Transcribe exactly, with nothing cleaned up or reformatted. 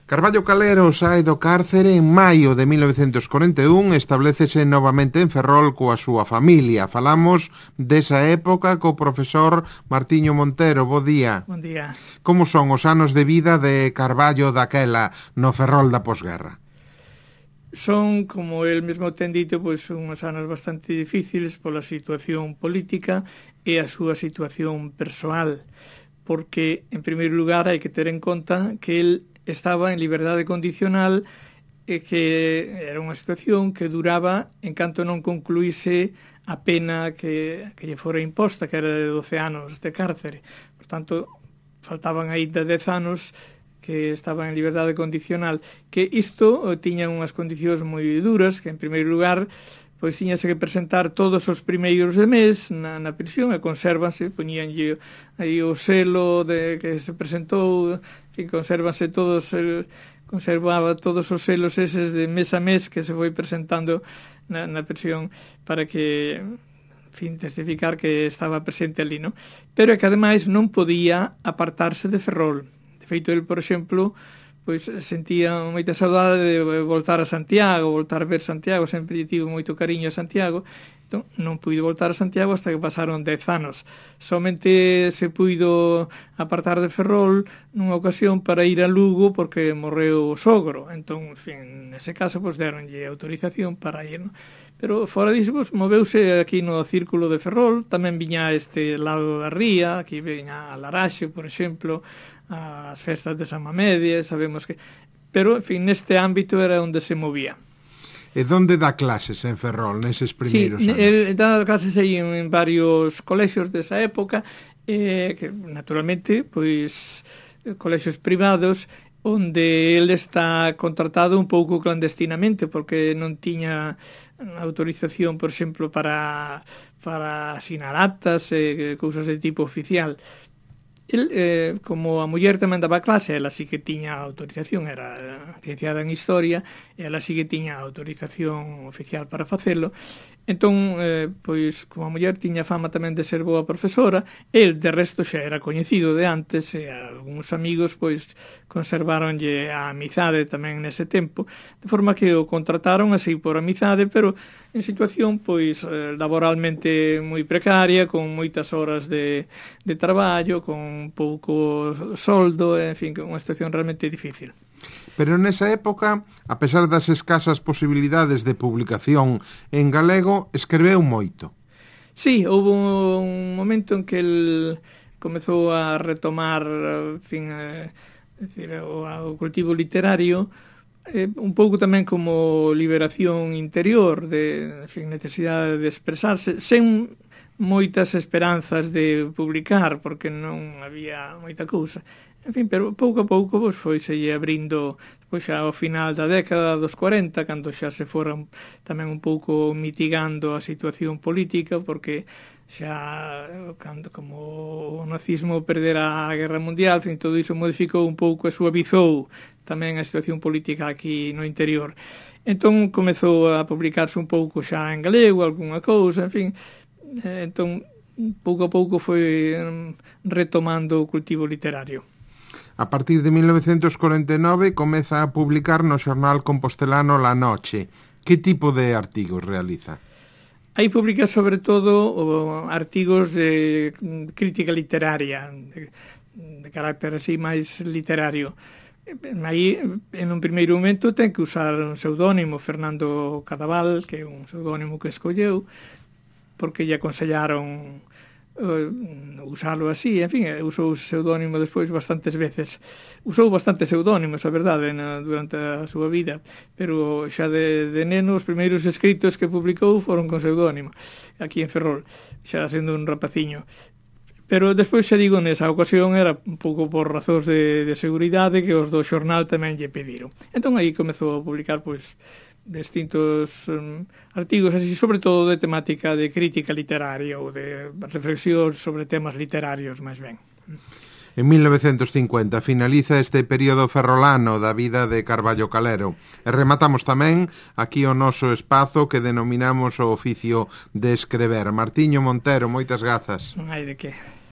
Carballo Calero sae do cárcere en maio de mil novecentos corenta e un e establécese novamente en Ferrol coa súa familia. Falamos desa época co profesor Martiño Montero. Bo día. Bon día. Como son os anos de vida de Carballo daquela no Ferrol da posguerra? Son, como el mesmo ten dito, pois unhos anos bastante difíciles pola situación política e a súa situación persoal, porque, en primeiro lugar, hai que ter en conta que el estaba en liberdade condicional e que era unha situación que duraba en canto non concluíse a pena que, que lle fora imposta, que era de doce anos de cárcere. Por tanto, faltaban aínda dez anos que estaba en liberdade condicional, que isto tiña unhas condicións moi duras, que en primeiro lugar pois tiñase que presentar todos os primeiros de mes na, na prisión e consérvanse, poñíanlle aí o selo de que se presentou, que consérvanse todos, el, conservaba todos os selos eses de mes a mes que se foi presentando na, na prisión para que, en fin, testificar que estaba presente ali, non? Pero é que ademais non podía apartarse de Ferrol. De feito, el, por exemplo, pois sentía moita saudade de voltar a Santiago, voltar a ver Santiago, sempre lle tivo moito cariño a Santiago, entón non puido voltar a Santiago hasta que pasaron dez anos. Somente se puido apartar de Ferrol nunha ocasión para ir a Lugo porque morreu o sogro, entón, en fin, nese caso, pois deronlle autorización para ir, non? Pero fora disso, pois, moveuse aquí no círculo de Ferrol, tamén viña a este lado da ría, aquí viña a Laraxe, por exemplo, as festas de San Mamede, sabemos que... Pero, en fin, neste ámbito era onde se movía. E onde dá clases en Ferrol, neses primeiros sí, anos? Sí, dá clases aí en varios colexios desa época, eh, que, naturalmente, pois, colexios privados, onde ele está contratado un pouco clandestinamente, porque non tiña autorización, por exemplo, para, para asinar actas e cousas de tipo oficial. El, eh, como a muller tamén daba clase, ela sí que tiña autorización, era licenciada en Historia, e ela sí que tiña autorización oficial para facelo. Entón, eh, pois, como a muller tiña fama tamén de ser boa profesora, el, de resto, xa era coñecido de antes, e algúns amigos, pois, conservaronlle a amizade tamén nese tempo, de forma que o contrataron así por amizade, pero en situación, pois, laboralmente moi precaria, con moitas horas de, de traballo, con pouco soldo, en fin, unha situación realmente difícil. Pero nesa época, a pesar das escasas posibilidades de publicación en galego, escreveu moito. Sí, houve un momento en que el comezou a retomar, en fin, eh, decir, o, o cultivo literario, eh, un pouco tamén como liberación interior, de, en fin, necesidade de expresarse, sen moitas esperanzas de publicar, porque non había moita cousa. En fin, pero pouco a pouco pois, foi seguir abrindo, pois xa ao final da década dos corenta, cando xa se foran tamén un pouco mitigando a situación política, porque xa cando como o nazismo perdera a Guerra Mundial, en fin, todo iso modificou un pouco e suavizou tamén a situación política aquí no interior. Entón comezou a publicarse un pouco xa en galego, algunha cousa, en fin, entón pouco a pouco foi retomando o cultivo literario. A partir de mil novecentos corenta e nove comeza a publicar no xornal compostelano La Noche. Que tipo de artigos realiza? Aí publica sobre todo artigos de crítica literaria, de, de carácter así máis literario. Aí, en un primeiro momento, ten que usar un pseudónimo, Fernando Cadaval, que é un pseudónimo que escolleu, porque lle aconsellaron Uh, usalo así, en fin, usou o pseudónimo despois bastantes veces. Usou bastantes pseudónimos, a verdade, na, durante a súa vida, pero xa de, de neno os primeiros escritos que publicou foron con pseudónimo, aquí en Ferrol, xa sendo un rapaciño. Pero despois, xa digo, nesa ocasión era un pouco por razóns de, de seguridade que os do xornal tamén lle pediron. Entón aí comezou a publicar, pois, distintos um, artigos, así, sobre todo de temática de crítica literaria ou de reflexión sobre temas literarios, máis ben. En mil novecentos cincuenta finaliza este período ferrolano da vida de Carballo Calero e rematamos tamén aquí o noso espazo que denominamos o oficio de escrever. Martiño Montero, moitas grazas. Non hai de que.